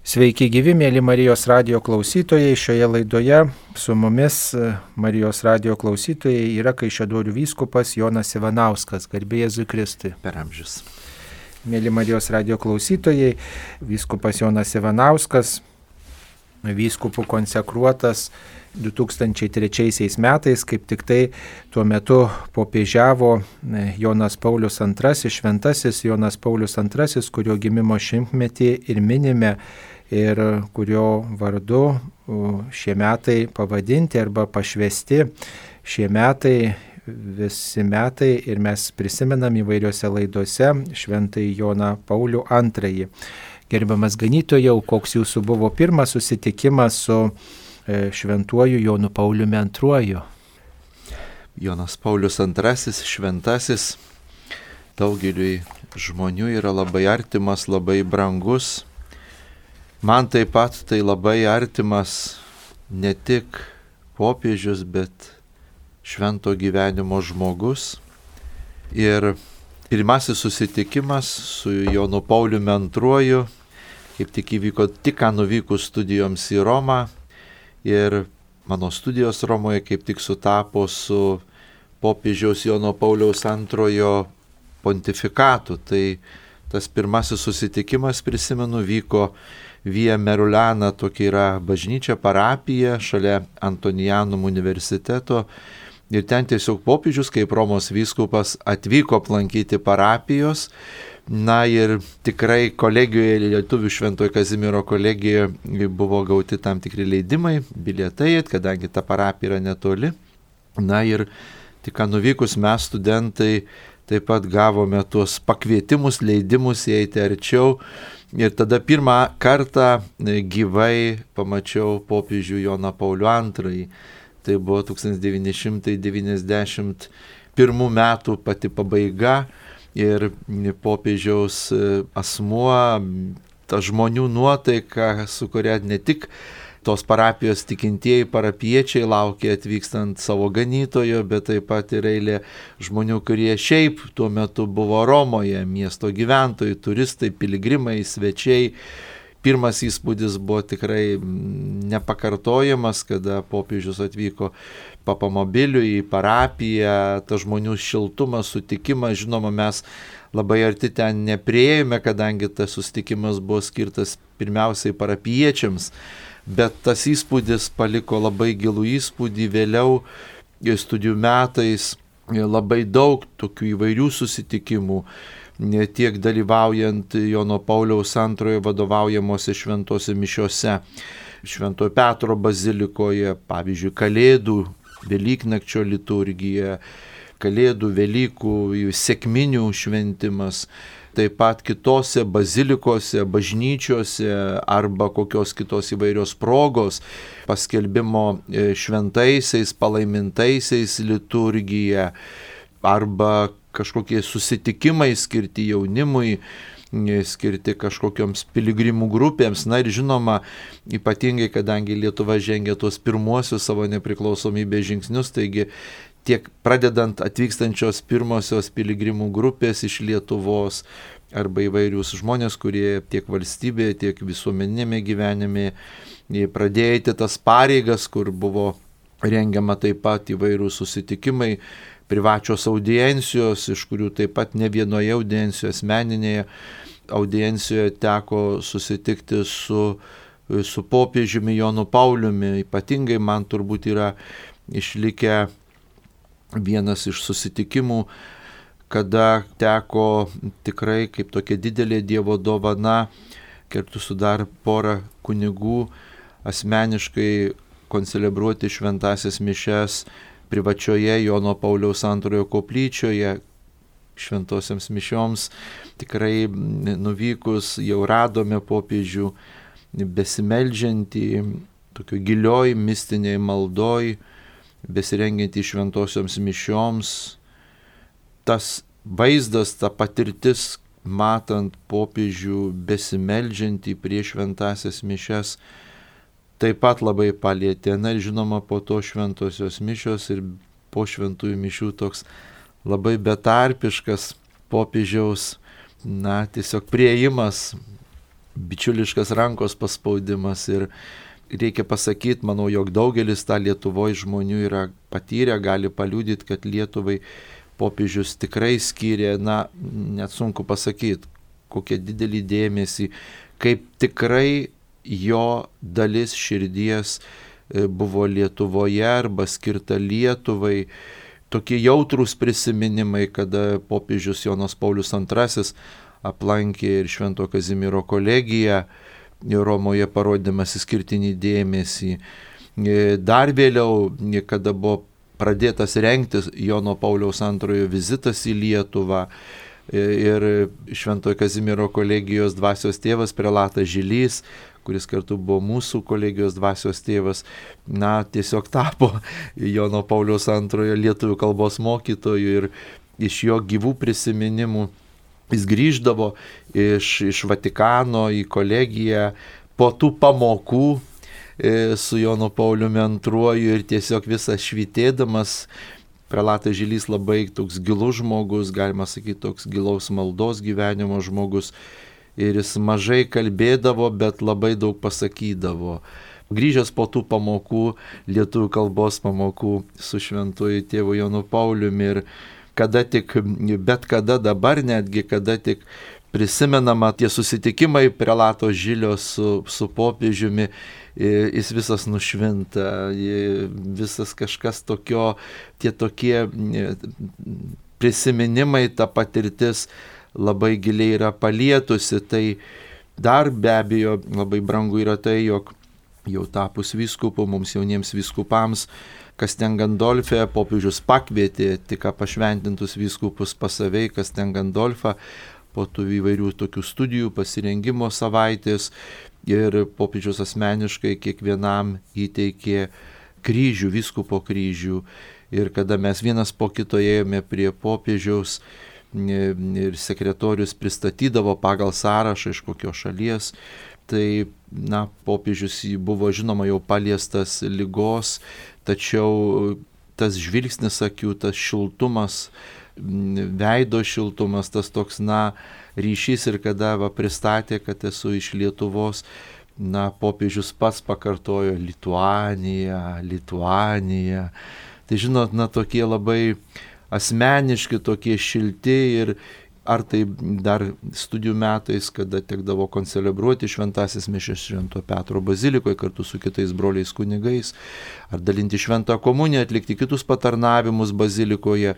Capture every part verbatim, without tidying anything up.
Sveiki gyvi, mėly Marijos radijo klausytojai. Šioje laidoje su mumis Marijos radijo klausytojai yra Kaišiadorių vyskupas Jonas Ivanauskas. Garbė Jėzui Kristui. Per amžius. Mėly Marijos radijo klausytojai, vyskupas Jonas Ivanauskas, vyskupų konsekruotas du tūkstančiai trečiaisiais metais, kaip tik tai tuo metu popiežiavo Jonas Paulius antrasis, šventasis Jonas Paulius antrasis, kurio gimimo šimtmetį ir minime ir kurio vardu šie metai pavadinti arba pašvesti. Šie metai, visi metai ir mes prisimenam įvairiose laidose šventąjį Joną Paulių antrąjį. Gerbiamas ganytojau, koks jūsų buvo pirmas susitikimas su šventuoju Jonu Pauliumi antruoju? Jonas Paulius antrasis, šventasis, daugeliui žmonių yra labai artimas, labai brangus. Man taip pat tai labai artimas ne tik popiežius, bet švento gyvenimo žmogus. Ir pirmasis susitikimas su Jonu Pauliumi antruoju, kaip tik įvyko tik ką nuvykus studijoms į Romą. Ir mano studijos Romoje kaip tik sutapo su popiežiaus Jono Pauliaus antrojo pontifikatu. Tai tas pirmasis susitikimas, prisimenu, vyko Via Merulana, tokia yra bažnyčia, parapija šalia Antonijanum universiteto. Ir ten tiesiog popiežius, kaip Romos vyskupas, atvyko aplankyti parapijos. Na ir tikrai kolegijoje, Lietuvių Šventojo Kazimiero kolegijoje buvo gauti tam tikri leidimai, bilietai, kadangi ta parapija yra netoli. Na ir tik ką nuvykus mes studentai taip pat gavome tuos pakvietimus, leidimus įeiti arčiau. Ir tada pirmą kartą gyvai pamačiau popiežių Joną Paulių antrąjį. Tai buvo tūkstantis devyni šimtai devyniasdešimt pirmų metų pati pabaiga. Ir popiežiaus asmuo, ta žmonių nuotaika, su kuria ne tik tos parapijos tikintieji parapiečiai laukia atvykstant savo ganytojo, bet taip pat ir eilė žmonių, kurie šiaip tuo metu buvo Romoje, miesto gyventojai, turistai, piligrimai, svečiai. Pirmas įspūdis buvo tikrai nepakartojamas, kada popiežius atvyko papamobiliu į parapiją, ta žmonių šiltumas, sutikimas, žinoma, mes labai arti ten nepriėjome, kadangi tas susitikimas buvo skirtas pirmiausiai parapiečiams, bet tas įspūdis paliko labai gilų įspūdį. Vėliau studijų metais labai daug tokių įvairių susitikimų, tiek dalyvaujant Jono Pauliaus antrojo vadovaujamose šventose mišiose, Šventojo Petro bazilikoje, pavyzdžiui, Kalėdų, Velyknakčio liturgija, Kalėdų, Velykų, sekminių šventimas, taip pat kitose bazilikose, bažnyčiose arba kokios kitos įvairios progos, paskelbimo šventaisiais, palaimintaisiais liturgija arba kažkokie susitikimai skirti jaunimui, skirti kažkokioms piligrimų grupėms. Na ir žinoma, ypatingai, kadangi Lietuva žengė tuos pirmuosius savo nepriklausomybės žingsnius, taigi tiek pradedant atvykstančios pirmosios piligrimų grupės iš Lietuvos arba įvairius žmonės, kurie tiek valstybėje, tiek visuomeninėme gyvenime pradėjo tas pareigas, kur buvo rengiama taip pat įvairūs susitikimai, privačios audiencijos, iš kurių taip pat ne vienoje audiencijoje, asmeninėje audiencijoje teko susitikti su, su popiežiumi Jonu Pauliumi. Ypatingai man turbūt yra išlikę vienas iš susitikimų, kada teko tikrai kaip tokia didelė Dievo dovana, kartu su dar porą kunigų, asmeniškai koncelebruoti šventąsias mišias privačioje Jono Pauliaus antrojo koplyčioje. Šventosiams mišioms tikrai nuvykus jau radome popiežių besimeldžiantį, tokio gilioj mistiniai maldoj, besirengiantį šventosioms mišioms. Tas vaizdas, ta patirtis, matant popiežių besimeldžiantį prieš šventąsias mišias, taip pat labai palietė. Na ir žinoma, po to šventosios mišios ir po šventųjų mišių toks labai betarpiškas popiežiaus, na, tiesiog priėjimas bičiuliškas rankos paspaudimas ir reikia pasakyti, manau, jog daugelis tą Lietuvoje žmonių yra patyrę, gali paliudyti, kad Lietuvai popiežius tikrai skyrė, na, net sunku pasakyti, kokią didelį dėmesį, kaip tikrai jo dalis širdies buvo Lietuvoje arba skirta Lietuvai. Tokie jautrūs prisiminimai, kada popiežius Jonas Paulius antrasis aplankė ir Švento Kazimiero kolegiją Romoje, parodymas išskirtinį dėmesį. Dar vėliau, kada buvo pradėtas rengti Jono Pauliaus antrojo vizitas į Lietuvą ir Šventojo Kazimiero kolegijos dvasios tėvas prelatas Žilys, kuris kartu buvo mūsų kolegijos dvasios tėvas, na, tiesiog tapo Jono Pauliaus antrojo lietuvių kalbos mokytoju ir iš jo gyvų prisiminimų jis grįždavo iš, iš Vatikano į kolegiją po tų pamokų e, su Jonu Pauliumi antruoju ir tiesiog visas švytėdamas. Prelatas Žilys labai toks gilus žmogus, galima sakyti, toks gilaus maldos gyvenimo žmogus. Ir jis mažai kalbėdavo, bet labai daug pasakydavo. Grįžęs po tų pamokų, lietuvių kalbos pamokų su šventuoju tėvu Jonu Pauliumi ir kada tik, bet kada dabar netgi, kada tik prisimenama tie susitikimai prelato Žilio su, su popiežiumi, jis visas nušvinta, visas kažkas tokio, tie tokie prisiminimai, ta patirtis labai giliai yra palietusi. Tai dar be abejo labai brangu yra tai, jog jau tapus vyskupu, mums jauniems vyskupams, Kastel Gandolfe popiežius pakvietė tik pašventintus vyskupus pas save, Kastel Gandolfą, po tų įvairių tokių studijų, pasirengimo savaitės ir popiežius asmeniškai kiekvienam įteikė kryžių, vyskupo kryžių. Ir kada mes vienas po kito ėjome prie popiežiaus ir sekretorius pristatydavo pagal sąrašą iš kokios šalies, tai, na, popiežius buvo žinoma jau paliestas ligos, tačiau tas žvilgsnis akių, tas šiltumas, veido šiltumas, tas toks, na, ryšys ir kada va, pristatė, kad esu iš Lietuvos, na, popiežius pats pakartojo Lituanija, Lituanija. Tai žinot, na, tokie labai asmeniški, tokie šilti ir ar tai dar studijų metais, kada tekdavo koncelebruoti šventasis mišias Švento Petro bazilikoje kartu su kitais broliais kunigais, ar dalinti šventą komuniją, atlikti kitus patarnavimus bazilikoje,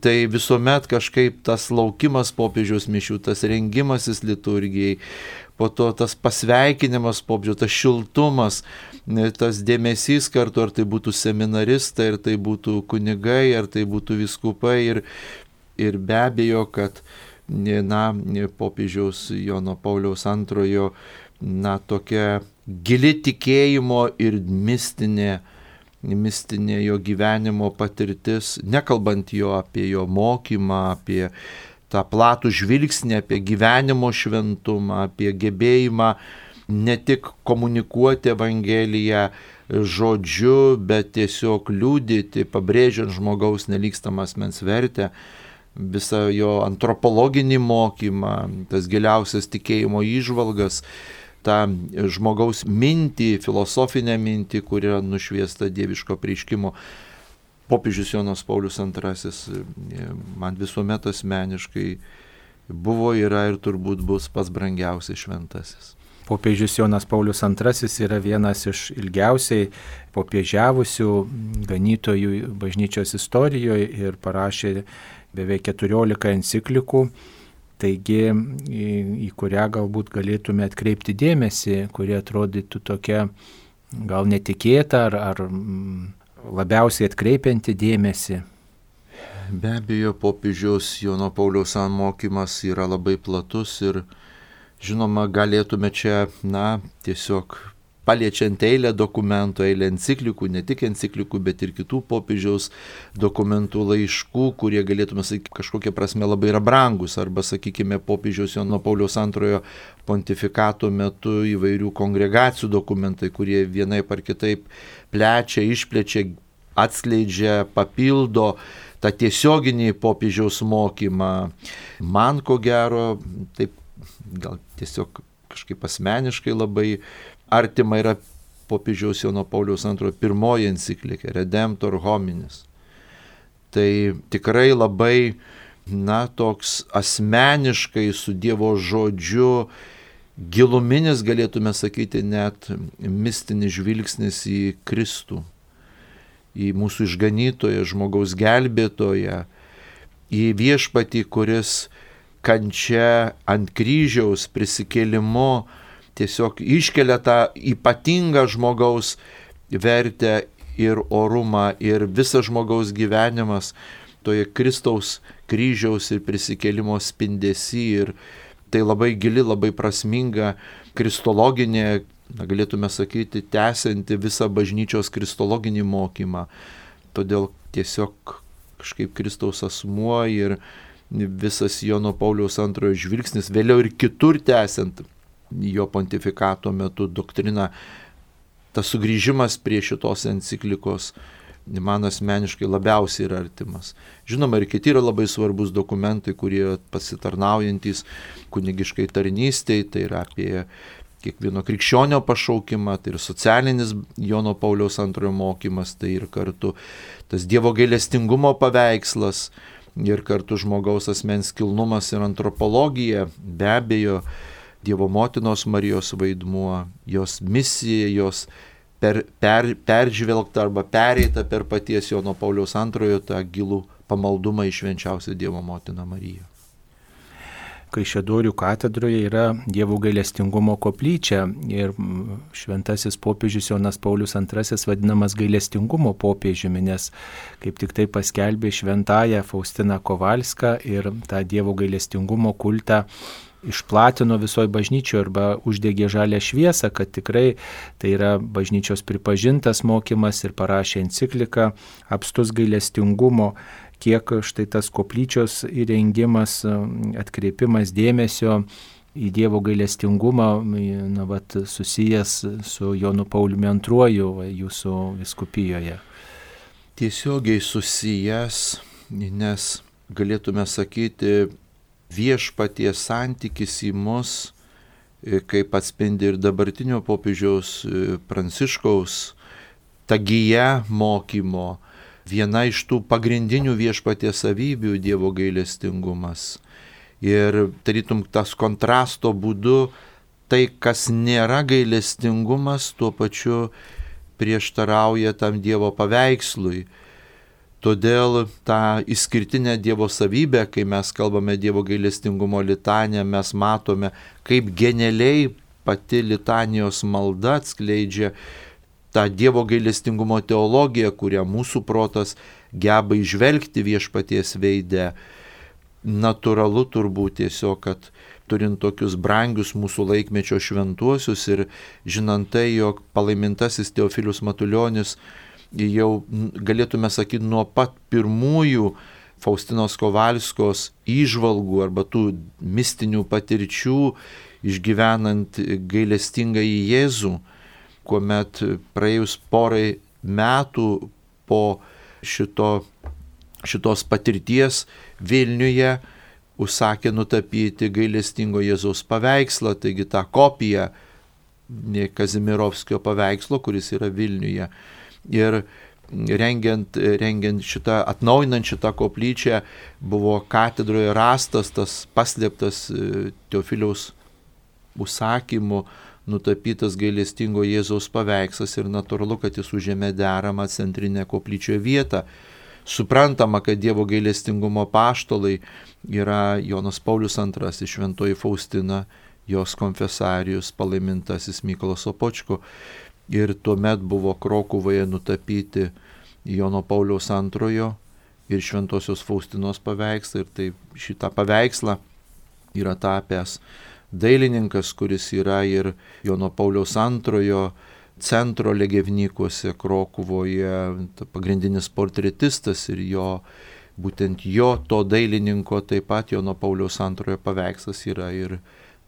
tai visuomet kažkaip tas laukimas popiežiaus mišių, tas rengimasis liturgijai, po to tas pasveikinimas popiežiaus, tas šiltumas, tas dėmesys kartu, ar tai būtų seminaristai, ar tai būtų kunigai, ar tai būtų vyskupai ir, ir be abejo, kad na, popiežiaus Jono Pauliaus antrojo, na, tokia gili tikėjimo ir mistinė, mistinė jo gyvenimo patirtis, nekalbant jo apie jo mokymą, apie tą platų žvilgsnį, apie gyvenimo šventumą, apie gebėjimą ne tik komunikuoti Evangeliją žodžiu, bet tiesiog liudyti, pabrėžiant žmogaus nelygstamą asmens vertę, visą jo antropologinį mokymą, tas giliausias tikėjimo įžvalgas, tą žmogaus mintį, filosofinę mintį, kuri yra nušviesta dieviško apreiškimo. Popiežius Jonas Paulius antrasis man visuomet asmeniškai buvo, yra ir turbūt bus pats brangiausias šventasis. Popiežius Jonas Paulius antrasis yra vienas iš ilgiausiai popiežiavusių ganytojų bažnyčios istorijoje ir parašė beveik keturiolika enciklikų, taigi į, į kurią galbūt galėtume atkreipti dėmesį, kuri atrodytų tokia gal netikėta ar, ar labiausiai atkreipianti dėmesį. Be abejo, popiežiaus Jono Pauliaus mokymas yra labai platus ir žinoma, galėtume čia, na, tiesiog paliečiant eilę dokumentų, eilę enciklikų, ne tik enciklikų, bet ir kitų popiežiaus dokumentų, laiškų, kurie galėtume sakyti kažkokia prasme labai yra brangus, arba, sakykime, popiežiaus Jono Pauliaus antrojo pontifikato metu įvairių kongregacijų dokumentai, kurie vienaip ar kitaip plečia, išplečia, atskleidžia, papildo tą tiesioginį popiežiaus mokymą. Man, ko gero, taip gal tiesiog kažkaip asmeniškai labai artima yra popiežiaus Jono Pauliaus antrojo pirmoji enciklika Redemptor Hominis. Tai tikrai labai, na, toks asmeniškai su Dievo žodžiu, giluminis, galėtume sakyti, net mistinis žvilgsnis į Kristų, į mūsų išganytoją, žmogaus gelbėtoją, į viešpatį, kuris kančia ant kryžiaus prisikėlimu tiesiog iškelia tą ypatingą žmogaus vertę ir orumą, ir visas žmogaus gyvenimas toje Kristaus kryžiaus ir prisikėlimo spindesy. Ir tai labai gili, labai prasminga kristologinė, na, galėtume sakyti, tęsianti visą bažnyčios kristologinį mokymą. Todėl tiesiog kažkaip Kristaus asmuo ir visas Jono Pauliaus antrojo žvilgsnis, vėliau ir kitur tęsiant jo pontifikato metu doktriną, tas sugrįžimas prie šitos enciklikos man asmeniškai labiausiai yra artimas. Žinoma, ir kiti yra labai svarbus dokumentai, kurie pasitarnaujantis kunigiškai tarnystei, tai yra apie kiekvieno krikščionio pašaukimą, tai ir socialinis Jono Pauliaus antrojo mokymas, tai ir kartu tas Dievo gailestingumo paveikslas, ir kartu žmogaus asmens kilnumas ir antropologija, be abejo, Dievo motinos Marijos vaidmuo, jos misija, jos per, per, peržvelgta arba pereita per paties Jono Pauliaus antrojo tą gilų pamaldumą į švenčiausią Dievo motiną Mariją. Kaišiadorių katedroje yra Dievo gailestingumo koplyčia ir šventasis popiežius Jonas Paulius antrasis vadinamas gailestingumo popiežiumi, nes kaip tik tai paskelbė šventąją Faustiną Kovalską ir tą Dievo gailestingumo kultą išplatino visoje bažnyčioje arba uždegė žalę šviesą, kad tikrai tai yra bažnyčios pripažintas mokymas, ir parašė encikliką Apstus gailestingumo, kiek štai tas koplyčios įrengimas, atkreipimas dėmesio į Dievo gailestingumą, na, vat, susijęs su Jonu Pauliumi antruoju jūsų vyskupijoje. Tiesiogiai susijęs, nes galėtume sakyti, viešpaties santykis į mus, kaip atspindi ir dabartinio popiežiaus Pranciškaus tagyje mokymo, viena iš tų pagrindinių viešpaties savybių Dievo gailestingumas. Ir tarytum tas kontrasto būdu, tai kas nėra gailestingumas, tuo pačiu prieštarauja tam Dievo paveikslui. Todėl tą išskirtinę Dievo savybę, kai mes kalbame Dievo gailestingumo litaniją, mes matome, kaip genialiai pati litanijos malda atskleidžia tą Dievo gailestingumo teologiją, kurią mūsų protas geba įžvelgti viešpaties veide. Natūralu turbūt tiesiog, kad turint tokius brangius mūsų laikmečio šventuosius ir žinant tai, jog palaimintasis Teofilius Matulionis jau galėtume sakyti nuo pat pirmųjų Faustinos Kovalskos įžvalgų arba tų mistinių patirčių išgyvenant gailestingąjį Jėzų, kuomet praėjus porai metų po šito, šitos patirties Vilniuje užsakė nutapyti gailestingo Jėzaus paveikslą, taigi tą kopiją Kazimirovskio paveikslo, kuris yra Vilniuje. Ir rengiant, rengiant šitą, atnaujinant šitą koplyčią, buvo katedroje rastas tas paslėptas Teofiliaus užsakymu nutapytas gailestingo Jėzaus paveikslas, ir natūralu, kad jis užėmė deramą centrinę koplyčioje vietą. Suprantama, kad Dievo gailestingumo apaštalai yra Jonas Paulius antrasis, šventoji Faustina, jos konfesarijus, palaimintasis Mykolas Sopočko. Ir tuomet buvo Krokuvoje nutapyti Jono Pauliaus antrojo ir šventosios Faustinos paveikslą. Ir tai šitą paveikslą yra tapęs dailininkas, kuris yra ir Jono Pauliaus antrojo centro Legevnikuose Krokuvoje pagrindinis portretistas, ir jo, būtent jo to dailininko taip pat Jono Pauliaus antrojo paveikslas yra ir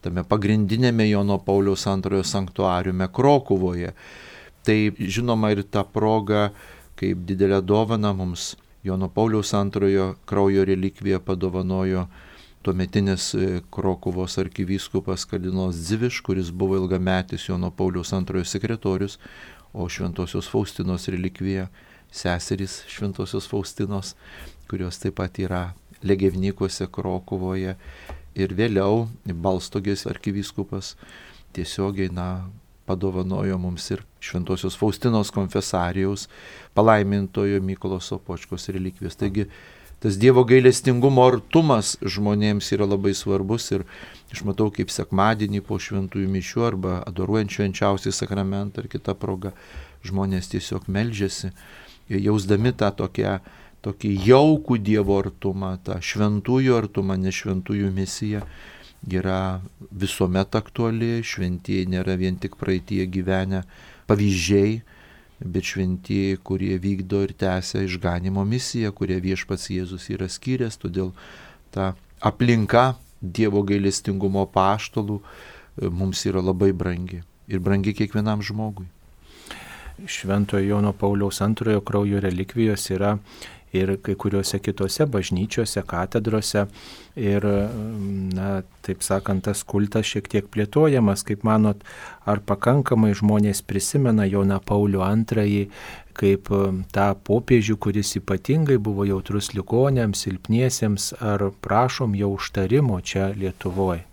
tame pagrindinėme Jono Pauliaus antrojo sanktuariume Krokuvoje. Tai žinoma ir ta proga, kaip didelę dovaną mums Jono Pauliaus antrojo kraujo relikviją padovanojo tuometinis Krokuvos arkivyskupas kardinolas Dziviš, kuris buvo ilgametis Jono Pauliaus antrojo sekretorius, o Šventosios Faustinos relikvija seserys Šventosios Faustinos, kurios taip pat yra Legevnikuose Krokuvoje, ir vėliau Balstogės arkivyskupas tiesiogiai na, padovanojo mums ir Šventosios Faustinos konfesarijaus palaimintojo Mykolo Sopočkos relikvijos. Taigi tas Dievo gailestingumo artumas žmonėms yra labai svarbus ir aš matau, kaip sekmadienį po šventųjų mišių arba adoruojant švenčiausią sakramentą ar kitą progą žmonės tiesiog meldžiasi, jausdami tą tokią, tokį jaukų Dievo artumą, tą šventųjų artumą, nes šventųjų misija yra visuomet aktuali, šventieji nėra vien tik praeitie gyvenę pavyzdžiai, bet šventieji, kurie vykdo ir tęsia išganimo misiją, kurie viešpats Jėzus yra skyręs, todėl ta aplinka Dievo gailestingumo apaštalų mums yra labai brangi ir brangi kiekvienam žmogui. Šventojo Jono Pauliaus antrojo kraujo relikvijos yra ir kai kuriuose kitose bažnyčiose, katedrose ir, na, taip sakant, tas kultas šiek tiek plėtojamas. Kaip manot, ar pakankamai žmonės prisimena Joną Paulių antrąjį kaip tą popiežių, kuris ypatingai buvo jautrus ligoniams, silpniesiems, ar prašom jo užtarimo čia Lietuvoje?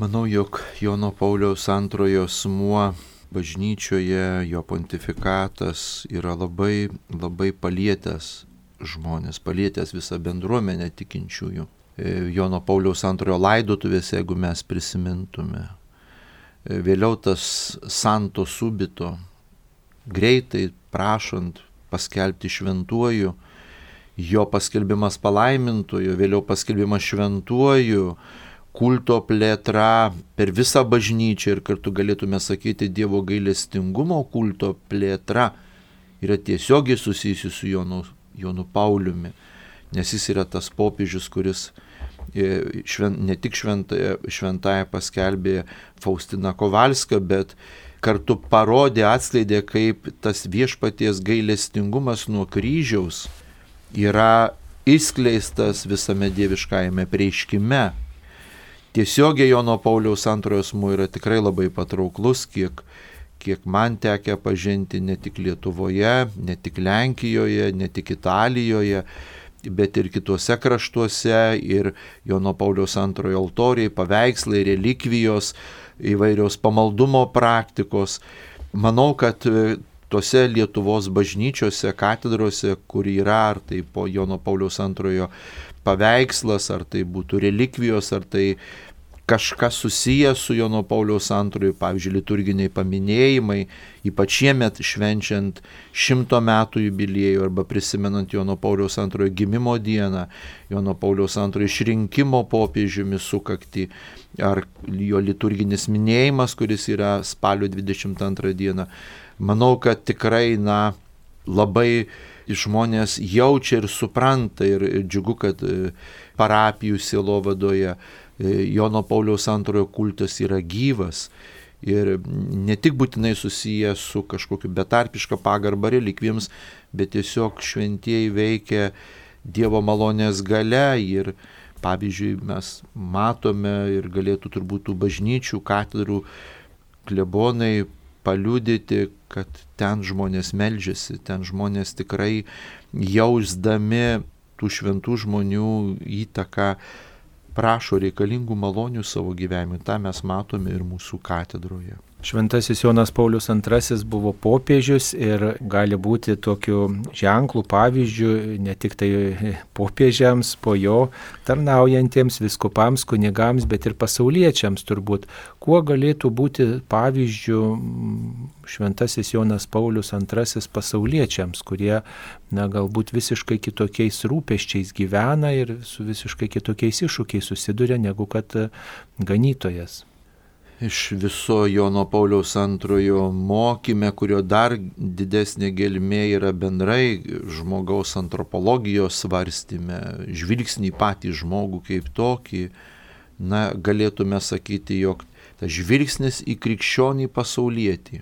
Manau, jog Jono Pauliaus antrojo asmuo bažnyčioje, jo pontifikatas yra labai, labai palietęs žmonės, palietęs visą bendruomenę tikinčiųjų. Jono Pauliaus antrojo laidotuvėse, jeigu mes prisimintume. Vėliau tas santo subito, greitai prašant paskelbti šventuoju, jo paskelbimas palaimintoju, vėliau paskelbimas šventuoju, kulto plėtra per visą bažnyčią ir kartu galėtume sakyti Dievo gailestingumo kulto plėtra yra tiesiogiai susijusi su Jonu, Jonu Pauliumi, nes jis yra tas popiežius, kuris švent, ne tik šventąją, šventąją paskelbė Faustiną Kovalską, bet kartu parodė, atskleidė, kaip tas viešpaties gailestingumas nuo kryžiaus yra išskleistas visame dieviškajame preiškime. Tiesiogiai Jono Pauliaus antrojo asmuo yra tikrai labai patrauklus, kiek kiek man tekę pažinti ne tik Lietuvoje, ne tik Lenkijoje, ne tik Italijoje, bet ir kituose kraštuose, ir Jono Pauliaus antrojo altoriai, paveikslai, relikvijos, įvairios pamaldumo praktikos. Manau, kad tose Lietuvos bažnyčiose, katedrose, kur yra, ar tai po Jono Pauliaus antrojo paveikslas, ar tai būtų relikvijos, ar tai kažkas susijęs su Jono Pauliaus antrojo, pavyzdžiui, liturginiai paminėjimai, ypač šiemet švenčiant šimto metų jubiliejų arba prisimenant Jono Pauliaus antrojo gimimo dieną, Jono Pauliaus antrojo išrinkimo popiežiumi sukaktį, ar jo liturginis minėjimas, kuris yra spalio dvidešimt antrą dieną. Manau, kad tikrai, na, labai žmonės jaučia ir supranta ir džiugu, kad parapijų sielovadoje Jono Pauliaus antrojo kultas yra gyvas ir ne tik būtinai susijęs su kažkokiu betarpiška pagarba relikvijoms, bet tiesiog šventieji veikia Dievo malonės gale ir, pavyzdžiui, mes matome ir galėtų turbūt tų bažnyčių, katedrų klebonai paliudyti, kad ten žmonės meldžiasi, ten žmonės tikrai jausdami tų šventų žmonių įtaką prašo reikalingų malonių savo gyvenimui. Ta mes matome ir mūsų katedroje. Šventasis Jonas Paulius antrasis buvo popiežius ir gali būti tokiu ženklų pavyzdžių ne tik tai popiežiams, po jo tarnaujantiems viskupams, kunigams, bet ir pasauliečiams turbūt. Kuo galėtų būti pavyzdžių Šventasis Jonas Paulius antrasis pasauliečiams, kurie, na, galbūt visiškai kitokiais rūpesčiais gyvena ir su visiškai kitokiais iššūkiais susiduria negu kad ganytojas. Iš viso Jono Pauliaus antrojo mokyme, kurio dar didesnė gelmė yra bendrai žmogaus antropologijos svarstyme, žvilgsnį patį žmogų kaip tokį, na, galėtume sakyti, jog tas žvilgsnis į krikščionį pasaulietį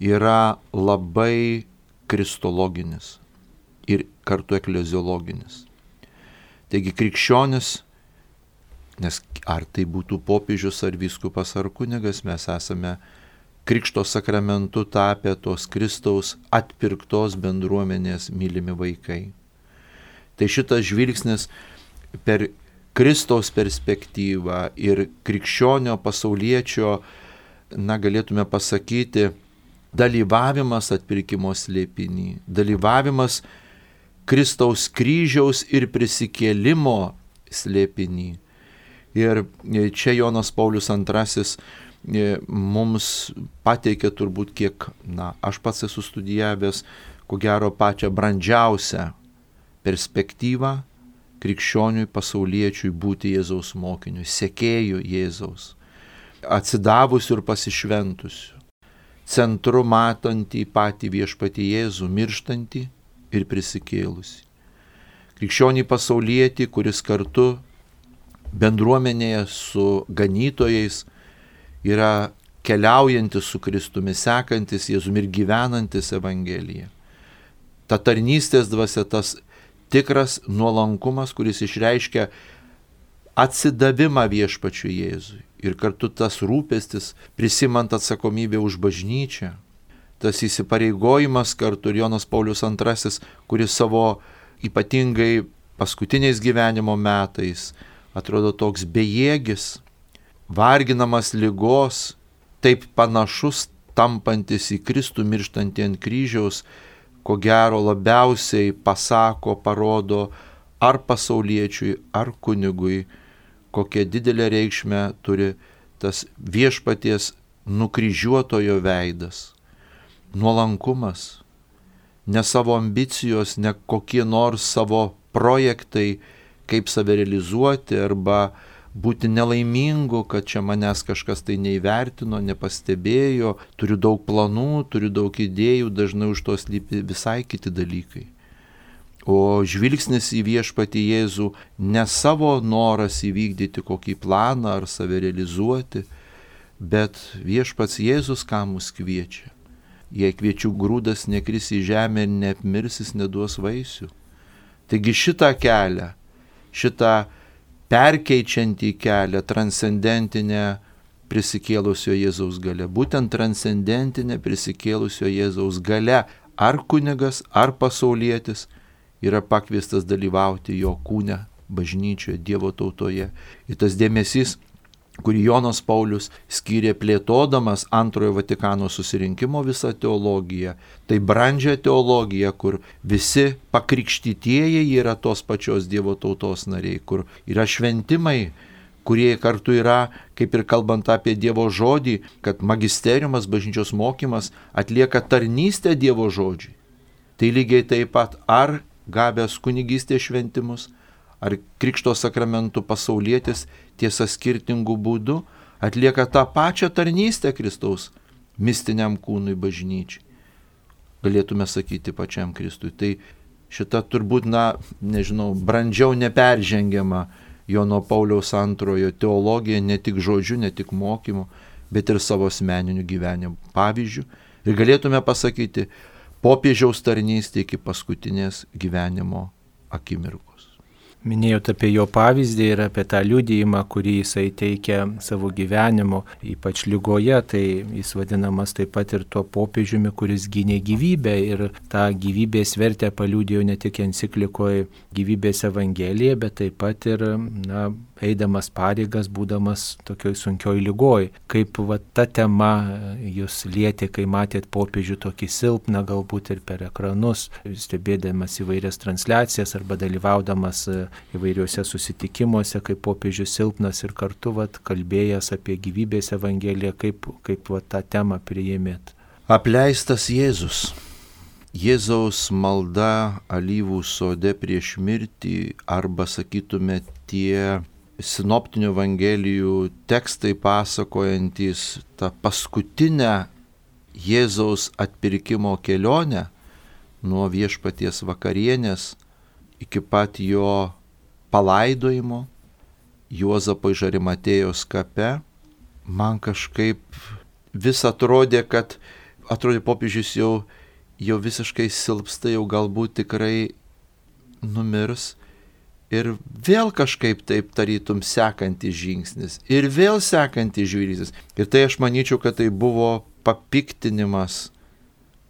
yra labai kristologinis ir kartu ekleziologinis. Taigi krikščionis Nes ar tai būtų popiežius, ar vyskupas, ar kunigas, mes esame Krikšto sakramentu tapę tos Kristaus atpirktos bendruomenės mylimi vaikai. Tai šitas žvilgsnis per Kristaus perspektyvą ir krikščionio pasauliečio, na, galėtume pasakyti, dalyvavimas atpirkimo slėpiny, dalyvavimas Kristaus kryžiaus ir prisikėlimo slėpiny. Ir čia Jonas Paulius antrasis mums pateikė turbūt kiek, na, aš pats esu studijavęs, ko gero pačią brandžiausią perspektyvą krikščioniui pasauliečiui būti Jėzaus mokiniu, sekėjų Jėzaus, atsidavusiu ir pasišventusiu, centru matantį patį viešpatį Jėzų, mirštantį ir prisikėlusi. Krikščionį pasaulietį, kuris kartu bendruomenėje su ganytojais yra keliaujantis su Kristumi, sekantis Jėzumi ir gyvenantis Evangeliją. Ta tarnystės dvasia, tas tikras nuolankumas, kuris išreiškia atsidavimą viešpačiui Jėzui. Ir kartu tas rūpestis, prisimant atsakomybę už bažnyčią, tas įsipareigojimas kartu ir Jonas Paulius antrasis, kuris savo ypatingai paskutiniais gyvenimo metais atrodo toks bejėgis, varginamas ligos, taip panašus tampantis į Kristų mirštantį ant kryžiaus, ko gero labiausiai pasako, parodo ar pasauliečiui, ar kunigui, kokią didelę reikšmę turi tas viešpaties nukryžiuotojo veidas. Nuolankumas, ne savo ambicijos, ne kokie nors savo projektai, kaip save realizuoti arba būti nelaimingu, kad čia manęs kažkas tai neįvertino, nepastebėjo, turiu daug planų, turiu daug idėjų, dažnai už to slypi visai kiti dalykai. O žvilgsnis į viešpatį Jėzų ne savo noras įvykdyti kokį planą ar save realizuoti, bet viešpats Jėzus ką mus kviečia. Jei kviečių grūdas nekris į žemę ir neapmirs, jis neduos vaisių. Taigi šitą kelią, šitą perkeičiantį kelią, transcendentinę prisikėlusio Jėzaus galia. Būtent transcendentinė prisikėlusio Jėzaus galia, ar kunigas, ar pasaulietis yra pakviestas dalyvauti jo kūne, bažnyčioje, Dievo tautoje. Ir tas dėmesys, kurį Jonas Paulius skyrė plėtodamas antrojo Vatikano susirinkimo visą teologiją, tai brandžią teologiją, kur visi pakrikštytieji yra tos pačios Dievo tautos nariai, kur yra šventimai, kurie kartu yra, kaip ir kalbant apie Dievo žodį, kad magisteriumas, bažnyčios mokymas atlieka tarnystę Dievo žodžiui. Tai lygiai taip pat ar gavęs kunigystės šventimus, ar krikšto sakramentų pasaulietis, tiesa skirtingų būdų, atlieka tą pačią tarnystę Kristaus mistiniam kūnui bažnyčiai. Galėtume sakyti pačiam Kristui. Tai šita turbūt, na, nežinau, brandžiau neperžengiama Jono Pauliaus antrojo teologija, ne tik žodžiu, ne tik mokymu, bet ir savo asmeniniu gyvenimu pavyzdžiu. Ir galėtume pasakyti, popiežiaus tarnystė iki paskutinės gyvenimo akimirkos. Minėjote apie jo pavyzdį ir apie tą liudijimą, kurį jisai teikia savo gyvenimu, ypač ligoje, tai jis vadinamas taip pat ir tuo popiežiumi, kuris gynė gyvybę ir tą gyvybės vertę paliudijo ne tik enciklikoje Gyvybės Evangelija, bet taip pat ir, na, eidamas pareigas, būdamas tokioj sunkioj ligoj. Kaip va, ta tema jūs lietė, kai matėt popiežių tokį silpną, galbūt ir per ekranus, stebėdamas įvairias transliacijas arba dalyvaudamas įvairiuose susitikimuose, kaip popiežius silpnas ir kartu vat, kalbėjęs apie Gyvybės Evangeliją, kaip, kaip vat, tą temą priėmėt. Apleistas Jėzus. Jėzaus malda alyvų sode prieš mirtį, arba sakytume tie sinoptinių evangelijų tekstai pasakojantis tą paskutinę Jėzaus atpirkimo kelionę nuo viešpaties vakarienės iki pat jo palaidojimo Juozapo iš Arimatėjos kape, man kažkaip vis atrodė, kad atrodė popiežius jau, jau visiškai silpsta, jau galbūt tikrai numirs ir vėl kažkaip taip tarytum sekantis žingsnis, ir vėl sekantis žvilgsnis. Ir tai aš manyčiau, kad tai buvo papiktinimas,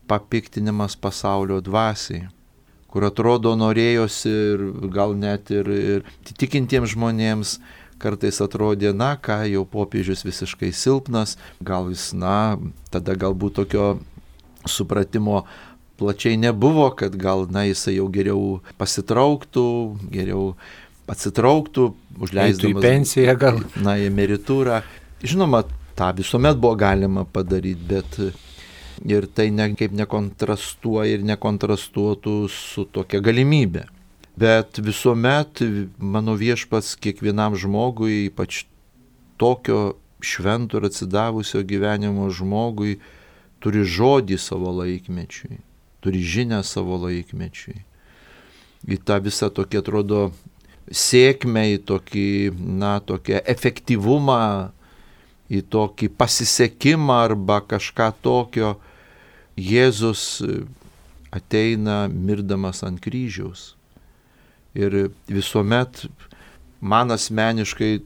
papiktinimas pasaulio dvasiai, kur atrodo norėjosi ir gal net ir, ir tikintiems žmonėms kartais atrodė, na, ką jau popiežius visiškai silpnas, gal jis, na, tada galbūt tokio supratimo plačiai nebuvo, kad gal, na, jisai jau geriau pasitrauktų, geriau atsitrauktų, užleisdamas į pensiją gal. Na, į emeritūrą. Žinoma, tą visuomet buvo galima padaryti, bet ir tai ne, kaip nekontrastuoja ir nekontrastuotų su tokia galimybė. Bet visuomet mano Viešpats kiekvienam žmogui, ypač tokio švento ir atsidavusio gyvenimo žmogui, turi žodį savo laikmečiui, turi žinią savo laikmečiui. Į tą visą tokį, atrodo, sėkmę, į tokį, na, tokį efektyvumą, į tokį pasisekimą arba kažką tokio, Jėzus ateina mirdamas ant kryžiaus. Ir visuomet man asmeniškai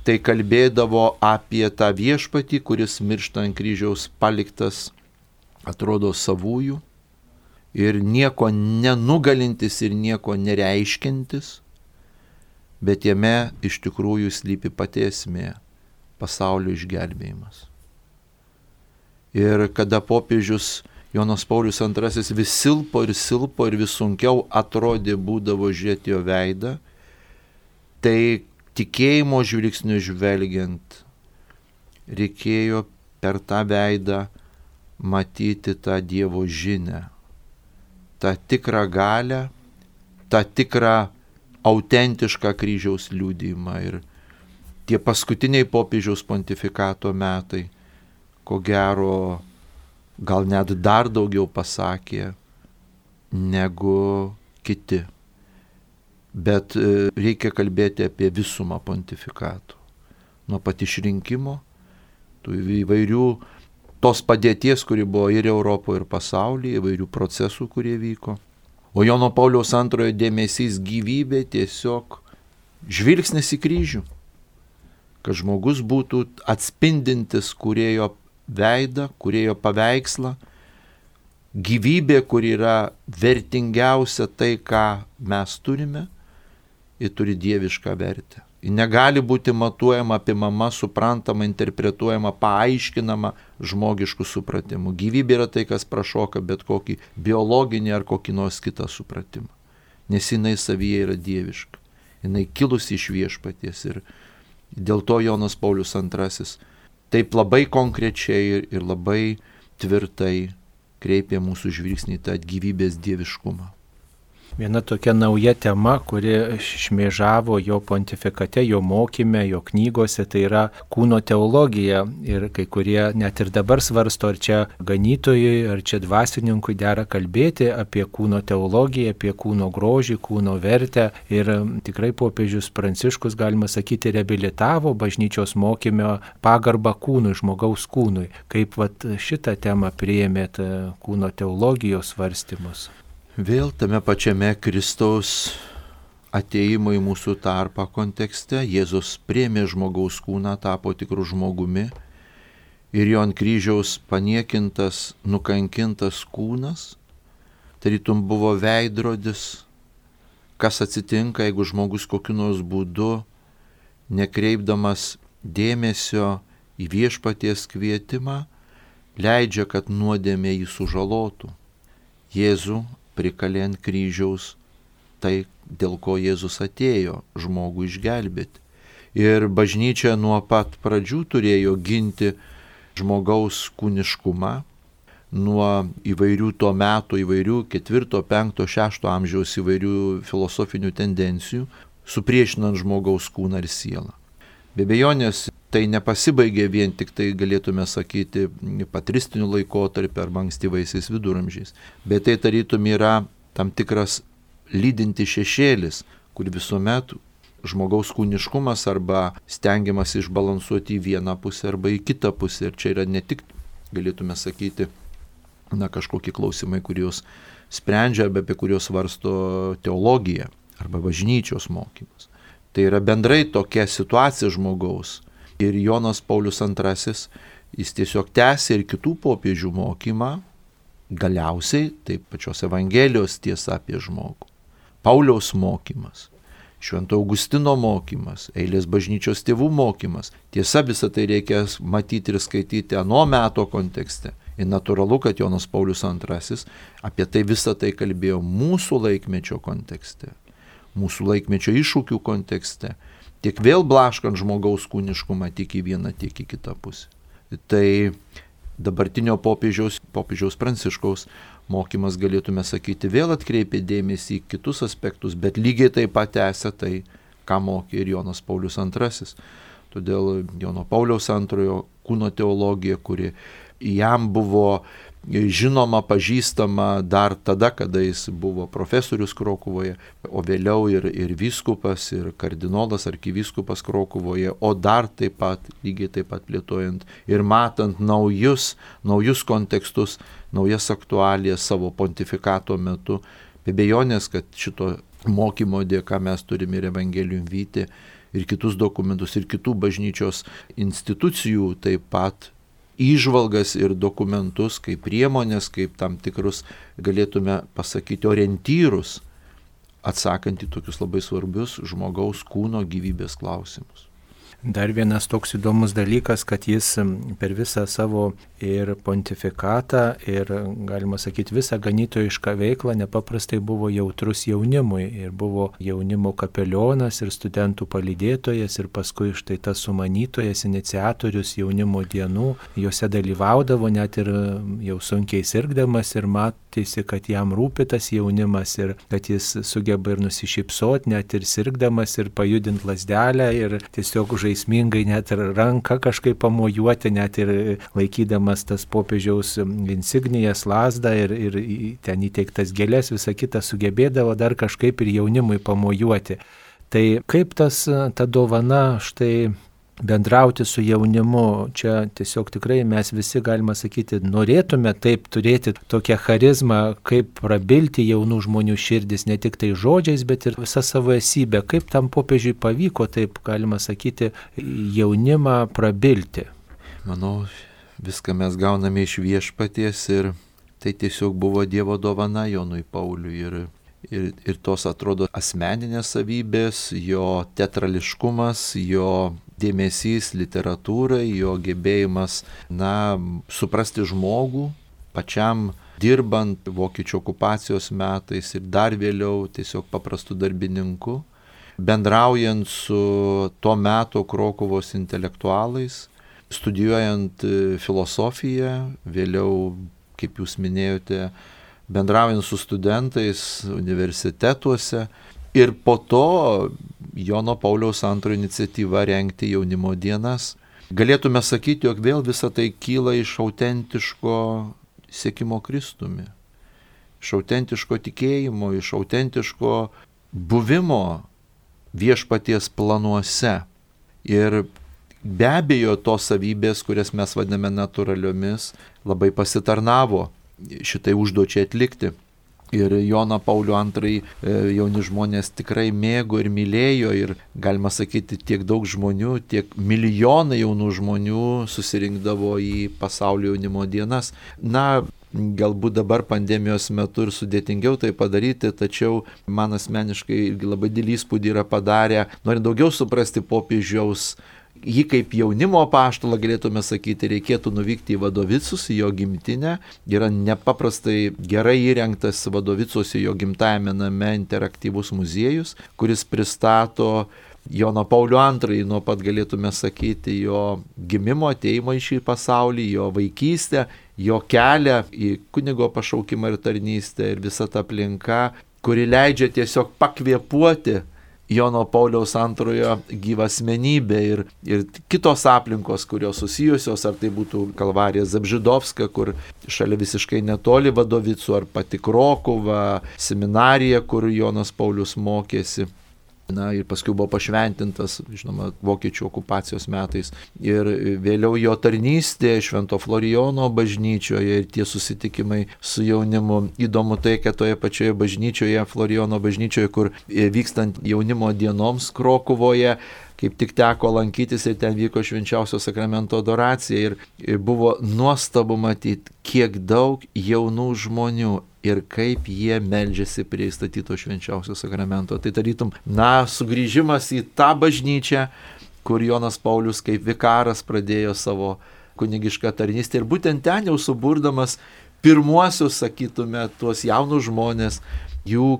tai kalbėdavo apie tą Viešpatį, kuris miršta ant kryžiaus paliktas, atrodo, savųjų ir nieko nenugalintis ir nieko nereiškintis, bet jame iš tikrųjų slypi pati esmė - pasaulio išgelbėjimas. Ir kada popiežius Jonas Paulius antrasis vis silpo ir silpo ir vis sunkiau atrodė būdavo žiūrėti jo veidą, tai tikėjimo žvilgsniu žvelgiant reikėjo per tą veidą matyti tą Dievo žinią, tą tikrą galią, tą tikrą autentišką kryžiaus liudijimą. Ir tie paskutiniai popiežiaus pontifikato metai, ko gero, gal net dar daugiau pasakė negu kiti. Bet reikia kalbėti apie visumą pontifikato. Nuo pat išrinkimo, tų įvairių tos padėties, kuri buvo ir Europoje, ir pasaulyje, įvairių procesų, kurie vyko. O Jono Pauliaus antrojo dėmesys gyvybė tiesiog žvilgsnis į kryžių. Kad žmogus būtų atspindintis kūrėjo veidą, kūrėjo paveikslą, gyvybė, kur yra vertingiausia tai, ką mes turime, ji turi dievišką vertę. Ji negali būti matuojama, apimama, suprantama, interpretuojama, paaiškinama žmogiškų supratimų. Gyvybė yra tai, kas prašoka bet kokį biologinį ar kokį nors kitą supratimą. Nes jinai savyje yra dieviška. Jinai kilusi iš Viešpaties. Ir dėl to Jonas Paulius antrasis taip labai konkrečiai ir, ir labai tvirtai kreipė mūsų žvilgsnį į tą gyvybės dieviškumą. Viena tokia nauja tema, kuri šmėžavo jo pontifikate, jo mokyme, jo knygose, tai yra kūno teologija. Ir kai kurie net ir dabar svarsto, ar čia ganytojui, ar čia dvasininkui dera kalbėti apie kūno teologiją, apie kūno grožį, kūno vertę. Ir tikrai popiežius Pranciškus, galima sakyti, reabilitavo bažnyčios mokyme pagarbą kūnui, žmogaus kūnui. Kaip vat, šitą temą priėmėt kūno teologijos svarstymus? Vėl tame pačiame Kristaus ateimo į mūsų tarpą kontekste Jėzus priėmė žmogaus kūną, tapo tikrų žmogumi ir jo ant kryžiaus paniekintas, nukankintas kūnas, tarytum buvo veidrodis, kas atsitinka, jeigu žmogus kokiu nors būdu, nekreipdamas dėmesio į Viešpaties kvietimą, leidžia, kad nuodėmė jį sužalotų. Jėzų prikalė ant kryžiaus tai, dėl ko Jėzus atėjo žmogų išgelbėti. Ir bažnyčia nuo pat pradžių turėjo ginti žmogaus kūniškumą nuo įvairių to meto, įvairių ketvirto, penkto, šešto amžiaus įvairių filosofinių tendencijų, supriešinant žmogaus kūną ir sielą. Be abejonės, tai nepasibaigė vien tik tai, galėtume sakyti, patristiniu laikotarpiu arba ankstyvaisiais viduramžiais. Bet tai tarytum yra tam tikras lydinti šešėlis, kur visuomet žmogaus kūniškumas arba stengiamas išbalansuoti į vieną pusę arba į kitą pusę. Ir čia yra ne tik, galėtume sakyti, na, kažkokie klausimai, kuriuos sprendžia arba apie kuriuos svarsto teologija. arba bažnyčios mokymas. Tai yra bendrai tokia situacija žmogaus. Ir Jonas Paulius antrasis, jis tiesiog tęsė ir kitų popiežių mokymą, galiausiai taip pačios Evangelijos tiesa apie žmogų. Pauliaus mokymas, Švento Augustino mokymas, eilės bažnyčios tėvų mokymas. Tiesa, visą tai reikia matyti ir skaityti ano meto kontekste. Ir natūralu, kad Jonas Paulius antrasis apie tai visą tai kalbėjo mūsų laikmečio kontekste, mūsų laikmečio iššūkių kontekste, tiek vėl blaškant žmogaus kūniškumą tiek į vieną, tiek į kitą pusę. Tai dabartinio popiežiaus, popiežiaus Pranciškaus mokymas, galėtume sakyti, vėl atkreipė dėmesį į kitus aspektus, bet lygiai taip pat tęsia tai, ką mokė ir Jonas Paulius antrasis. Todėl Jono Pauliaus antrojo kūno teologija, kuri jam buvo žinoma, pažįstama dar tada, kada jis buvo profesorius Krokuvoje, o vėliau ir, ir vyskupas, ir kardinolas, arkivyskupas Krokuvoje, o dar taip pat, lygiai taip pat plėtojant ir matant naujus, naujus kontekstus, naujas aktualijas savo pontifikato metu. Be abejonės, kad šito mokymo dėka mes turime ir Evangelium Vitae, ir kitus dokumentus, ir kitų bažnyčios institucijų taip pat įžvalgas ir dokumentus, kaip priemonės, kaip tam tikrus, galėtume pasakyti, orientyrus, atsakant į tokius labai svarbius žmogaus kūno gyvybės klausimus. Dar vienas toks įdomus dalykas, kad jis per visą savo ir pontifikatą, ir, galima sakyti, visą ganytojišką veiklą nepaprastai buvo jautrus jaunimui. Ir buvo jaunimo kapelionas ir studentų palydėtojas, ir paskui štai tas sumanytojas, iniciatorius jaunimo dienų. Jose dalyvaudavo net ir jau sunkiai sirgdamas, ir matėsi, kad jam rūpi tas jaunimas, ir kad jis sugeba ir nusišypsoti, net ir sirgdamas, ir pajudinti lazdelę, ir tiesiog žaismingai net ir ranką kažkaip pamojuoti, net ir laikydamas tas popiežiaus insignijas, lazdą ir, ir ten įteiktas gėlės, visą kitą sugebėdavo dar kažkaip ir jaunimui pamojuoti. Tai kaip tas, ta dovana štai bendrauti su jaunimu, čia tiesiog tikrai mes visi, galima sakyti, norėtume taip turėti tokią charizmą, kaip prabilti jaunų žmonių širdis, ne tik tai žodžiais, bet ir visą savo esybę. Kaip tam popiežiui pavyko, taip galima sakyti, jaunimą prabilti? Manau, viską mes gauname iš Viešpaties ir tai tiesiog buvo Dievo dovana Jonui Pauliui ir, ir, ir tos atrodo asmeninės savybės, jo teatrališkumas, jo dėmesys literatūrai, jo gebėjimas, na, suprasti žmogų, pačiam dirbant vokiečių okupacijos metais ir dar vėliau tiesiog paprastų darbininkų, bendraujant su to meto Krokuvos intelektualais, studijuojant filosofiją, vėliau, kaip jūs minėjote, bendraujant su studentais universitetuose ir po to Jono Pauliaus antrojo iniciatyva rengti jaunimo dienas. Galėtume sakyti, jog vėl visa tai kyla iš autentiško sekimo Kristumi, iš autentiško tikėjimo, iš autentiško buvimo Viešpaties planuose. Ir be abejo, tos savybės, kurias mes vadiname natūraliomis, labai pasitarnavo šitai užduočiai atlikti. Ir Joną Paulių antrąjį jauni žmonės tikrai mėgo ir mylėjo ir, galima sakyti, tiek daug žmonių, tiek milijonai jaunų žmonių susirinkdavo į pasaulio jaunimo dienas. Na, galbūt dabar pandemijos metu ir sudėtingiau tai padaryti, tačiau man asmeniškai irgi labai didelį įspūdį yra padarę, norint daugiau suprasti popiežiaus, jį kaip jaunimo apaštalą, galėtume sakyti, reikėtų nuvykti į Vadovicus, į jo gimtinę. Yra nepaprastai gerai įrengtas Vadovicuose, jo gimtajame name, interaktyvus muziejus, kuris pristato Joną Paulių antrąjį, nuo pat galėtume sakyti, jo gimimo, ateimo į šį pasaulį, jo vaikystę, jo kelią į kunigo pašaukimą ir tarnystę ir visa ta aplinka, kuri leidžia tiesiog pakvėpuoti Jono Pauliaus antrojo gyvą asmenybę ir, ir kitos aplinkos, kurios susijusios, ar tai būtų Kalvarija Zabžidovska, kur šalia visiškai netoli Vadovicų, ar pati Krokuva, seminarija, kur Jonas Paulius mokėsi. Na ir paskui buvo pašventintas, žinoma, vokiečių okupacijos metais. Ir vėliau jo tarnystė Švento Florijono bažnyčioje ir tie susitikimai su jaunimu. Įdomu tai, kad toje pačioje bažnyčioje, Florijono bažnyčioje, kur vykstant jaunimo dienoms Krokuvoje, kaip tik teko lankytis ir ten vyko švenčiausio sakramento adoracija ir buvo nuostabu matyti, kiek daug jaunų žmonių ir kaip jie meldžiasi prie įstatyto švenčiausio sakramento. Tai tarytum, na, sugrįžimas į tą bažnyčią, kur Jonas Paulius kaip vikaras pradėjo savo kunigišką tarnystę ir būtent ten jau suburdamas pirmuosius, sakytume, tuos jaunus žmonės, jų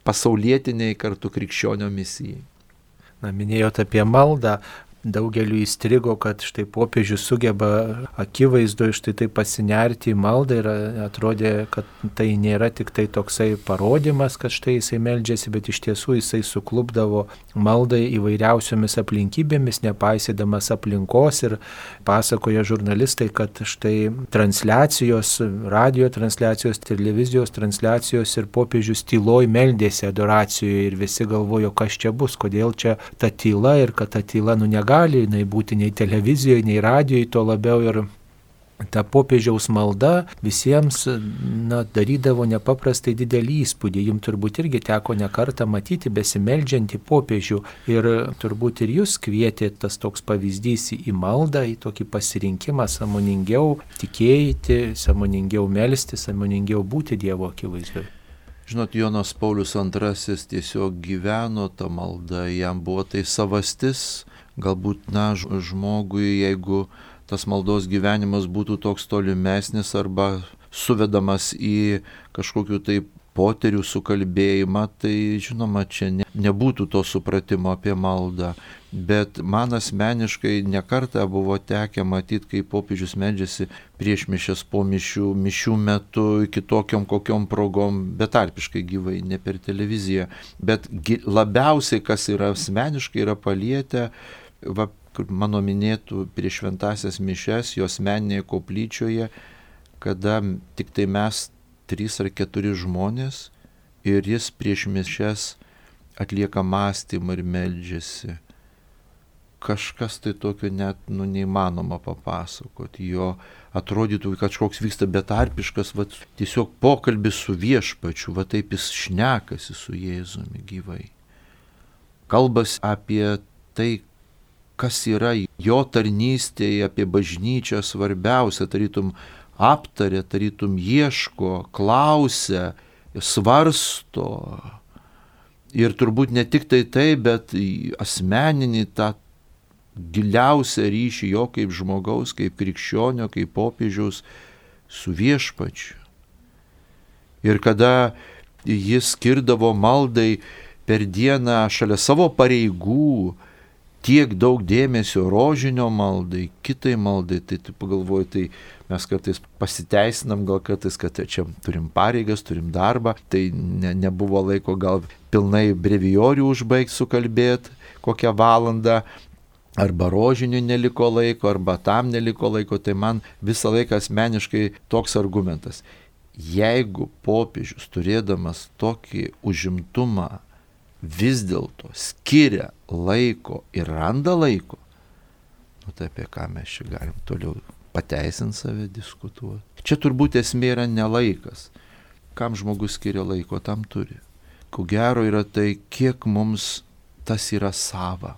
pasaulietiniai kartu krikščionio misijai. Na, minėjot apie maldą, daugeliu įstrigo, kad štai popiežius sugeba akivaizdu štai tai pasinerti į maldą ir atrodė, kad tai nėra tik tai toksai parodymas, kad štai jisai meldžiasi, bet iš tiesų jisai suklubdavo maldai įvairiausiomis aplinkybėmis, nepaisydamas aplinkos ir pasakoja žurnalistai, kad štai transliacijos, radio transliacijos, televizijos transliacijos ir popiežius tyloj meldėsi adoracijoje ir visi galvojo, kas čia bus, kodėl čia ta tyla ir kad ta tyla nu negali jinai būti nei televizijoje, nei radijoje, to labiau ir ta popiežiaus malda visiems na, darydavo nepaprastai didelį įspūdį. Jums turbūt irgi teko ne kartą matyti besimeldžiantį popiežių ir turbūt ir jūs kvietė tas toks pavyzdys į maldą, į tokį pasirinkimą sąmoningiau tikėti, sąmoningiau melsti, sąmoningiau būti Dievo akivaizdoje. Žinot, Jonas Paulius antrasis tiesiog gyveno tą maldą, jam buvo tai savastis. Galbūt, na, žmogui, jeigu tas maldos gyvenimas būtų toks tolimesnis arba suvedamas į kažkokių tai poterių sukalbėjimą, tai, žinoma, čia ne, nebūtų to supratimo apie maldą. Bet man asmeniškai nekartą buvo tekę matyti, kaip popiežius meldžiasi prieš mišias, po mišių, mišių metu, kitokiom kokiom progom, betarpiškai gyvai, ne per televiziją. Bet labiausiai, kas yra asmeniškai, yra palietę, va, mano minėtų prieš šventąsias mišias, jos asmeninėje koplyčioje, kada tik tai mes trys ar keturi žmonės ir jis prieš mišias atlieka mąstymą ir meldžiasi. Kažkas tai tokio net nu, neįmanoma papasakoti. Jo atrodytų, kad kažkoks vyksta betarpiškas, va, tiesiog pokalbis su viešpačiu, va taip jis šnekasi su Jėzumi gyvai. Kalbas apie tai, kas yra jo tarnystėje, apie bažnyčią svarbiausia, tarytum aptarė, tarytum ieško, klausia, svarsto. Ir turbūt ne tik tai tai, bet asmeninį tą giliausią ryšį jo kaip žmogaus, kaip krikščionio, kaip popiežiaus su viešpačiu. Ir kada jis skirdavo maldai per dieną šalia savo pareigų tiek daug dėmesio rožinio maldai, kitai maldai, tai tu pagalvoji, tai mes kartais pasiteisinam, gal kartais, kad čia turim pareigas, turim darbą, tai ne, nebuvo laiko gal pilnai brevijorių užbaigti sukalbėti kokią valandą, arba rožinių neliko laiko, arba tam neliko laiko, tai man visą laiką asmeniškai toks argumentas. Jeigu popiežius turėdamas tokį užimtumą vis dėlto skiria laiko ir randa laiko, nu tai apie ką mes čia galim toliau pateisinti save, diskutuoti. Čia turbūt esmė yra ne laikas. Kam žmogus skiria laiko, tam turi. Ko gero yra tai, kiek mums tas yra sava.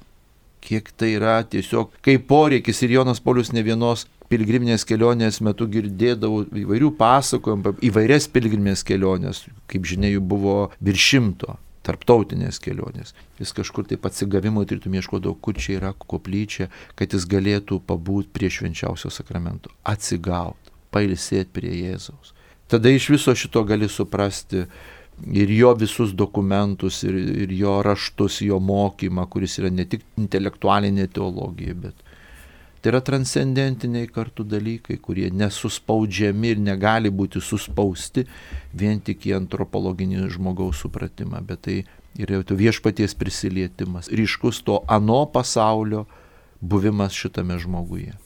Kiek tai yra tiesiog kaip poreikis. Ir Jonas Paulius ne vienos pilgriminės kelionės metu girdėdavo įvairių pasakojimų, įvairias pilgriminės kelionės, kaip žinia, jų buvo virš šimto. Tarptautinės kelionės. Jis kažkur taip atsigavimo turėtų ieškodavo, kur čia yra koplyčia, kad jis galėtų pabūti prie švenčiausio sakramento, atsigauti, pailsėti prie Jėzaus. Tada iš viso šito gali suprasti ir jo visus dokumentus, ir, ir jo raštus, jo mokymą, kuris yra ne tik intelektualinė teologija, bet tai yra transcendentiniai kartu dalykai, kurie nesuspaudžiami ir negali būti suspausti vien tik į antropologinį žmogaus supratimą, bet tai yra viešpaties prisilietimas, ryškus to ano pasaulio buvimas šitame žmoguje.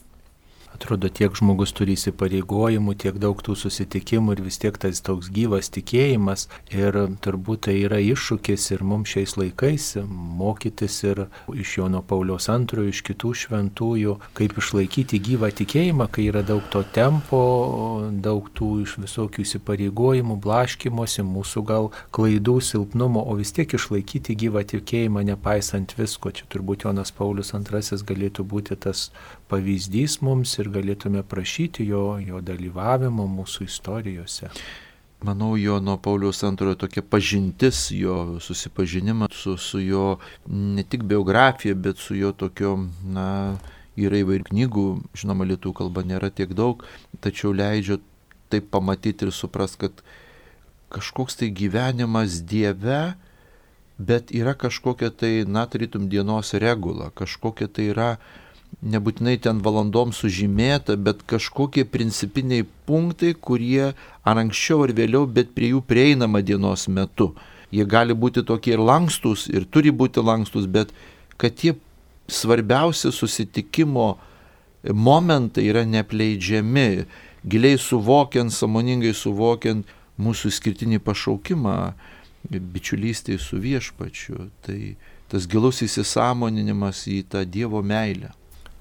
Atrodo, tiek žmogus turi įsipareigojimų, tiek daug tų susitikimų ir vis tiek tas toks gyvas tikėjimas. Ir turbūt tai yra iššūkis ir mums šiais laikais mokytis ir iš Jono Pauliaus antrojo, iš kitų šventųjų, kaip išlaikyti gyvą tikėjimą, kai yra daug to tempo, daug tų iš visokių įsipareigojimų, blaškymosi, mūsų gal klaidų, silpnumo, o vis tiek išlaikyti gyvą tikėjimą nepaisant visko. Čia turbūt Jonas Paulius antrasis galėtų būti tas pavyzdys mums ir galėtume prašyti jo, jo dalyvavimo mūsų istorijose. Manau, Jono Pauliaus antrojo tokia pažintis, jo susipažinimas su, su jo ne tik biografija, bet su jo tokio, na, yra įvairių knygų, žinoma, lietuvių kalba nėra tiek daug, tačiau leidžia taip pamatyti ir suprast, kad kažkoks tai gyvenimas Dieve, bet yra kažkokia tai, na, tarytum dienos regula, kažkokia tai yra nebūtinai ten valandom sužymėta, bet kažkokie principiniai punktai, kurie ar anksčiau ar vėliau, bet prie jų prieinama dienos metu. Jie gali būti tokie ir lankstus, ir turi būti lankstus, bet kad tie svarbiausi susitikimo momentai yra neapleidžiami, giliai suvokiant, sąmoningai suvokiant mūsų skirtinį pašaukimą, bičiulystėje su Viešpačiu. Tai tas gilus įsisąmoninimas į tą Dievo meilę.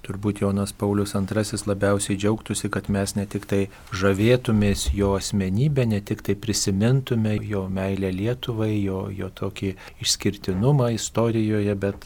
Turbūt Jonas Paulius antrasis labiausiai džiaugtųsi, kad mes ne tik tai žavėtumės jo asmenybę, ne tik tai prisimintume jo meilę Lietuvai, jo, jo tokį išskirtinumą istorijoje, bet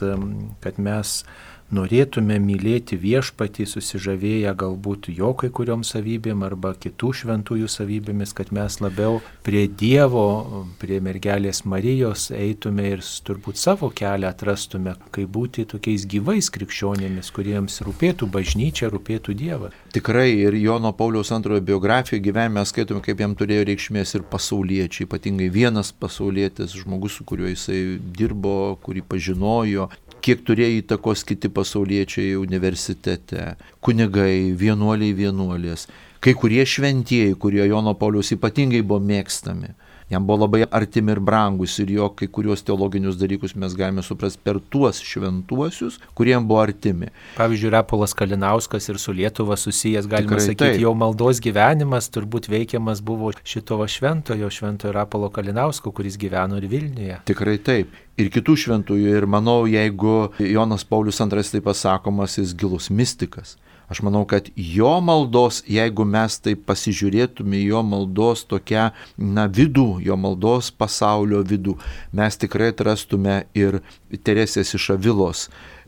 kad mes norėtume mylėti Viešpatį, susižavėję galbūt jo kai kuriom savybėm arba kitų šventųjų savybėmis, kad mes labiau prie Dievo, prie mergelės Marijos eitume ir turbūt savo kelią atrastume, kaip būti tokiais gyvais krikščionėmis, kuriems rūpėtų bažnyčia, rūpėtų Dievas. Tikrai ir Jono Pauliaus antrojo biografijoje gyvenime skaitome, kaip jam turėjo reikšmės ir pasauliečiai, ypatingai vienas pasaulietis, žmogus, su kuriuo jisai dirbo, kurį pažinojo, kiek turėjo įtakos kiti pasauliečiai universitete, kunigai, vienuoliai, vienuolės, kai kurie šventieji, kurie Jono Pauliaus ypatingai buvo mėgstami. Jam buvo labai artimi ir brangus ir jo kai kurios teologinius dalykus mes galime suprasti per tuos šventuosius, kuriem buvo artimi. Pavyzdžiui, Rapolas Kalinauskas ir su Lietuva susijęs, galima Tikrai sakyti, taip. Jo maldos gyvenimas turbūt veikiamas buvo šito šventojo, šventojo Rapolo Kalinausko, kuris gyveno ir Vilniuje. Tikrai taip. Ir kitų šventųjų. Ir manau, jeigu Jonas Paulius antrasis taip pasakomas, jis gilus mistikas. Aš manau, kad jo maldos, jeigu mes taip pasižiūrėtume jo maldos tokią, na, vidų, jo maldos pasaulio vidų, mes tikrai atrastume ir Teresės iš Avilos,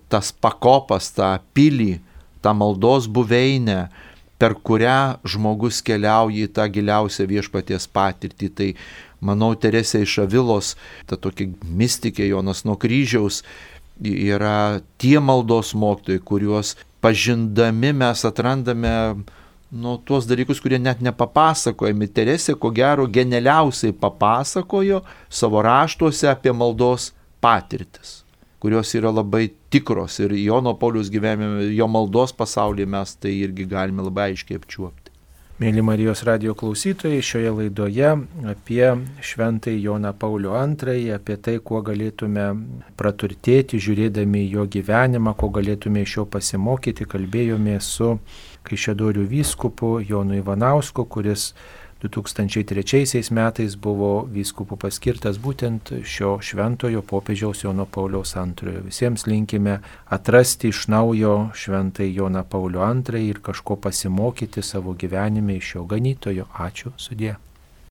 tas pakopas, tą pilį, tą maldos buveinę, per kurią žmogus keliauja į tą giliausią Viešpaties patirtį. Tai, manau, Teresė iš Avilos, ta tokia mistikė Jonas nuo kryžiaus, yra tie maldos mokytojai, kuriuos pažindami mes atrandame nu, tuos dalykus, kurie net nepapasakojami. Teresė, ko gero, genialiausiai papasakojo savo raštuose apie maldos patirtis, kurios yra labai tikros. Ir Jono Pauliaus gyvenime, jo maldos pasaulyje mes tai irgi galime labai aiškiai apčiuopti. Mėly Marijos radijo klausytojai, šioje laidoje apie šventąjį Joną Paulių antrąjį, apie tai, kuo galėtume praturtėti, žiūrėdami jo gyvenimą, ko galėtume iš jo pasimokyti, kalbėjome su Kaišiadorių vyskupu Jonu Ivanausku, kuris du tūkstančiai trečiaisiais metais buvo vyskupu paskirtas būtent šio šventojo popiežiaus Jono Pauliaus antrojo. Visiems linkime atrasti iš naujo šventąjį Joną Paulių antrąjį ir kažko pasimokyti savo gyvenime iš jo ganytojo. Ačiū, sudie.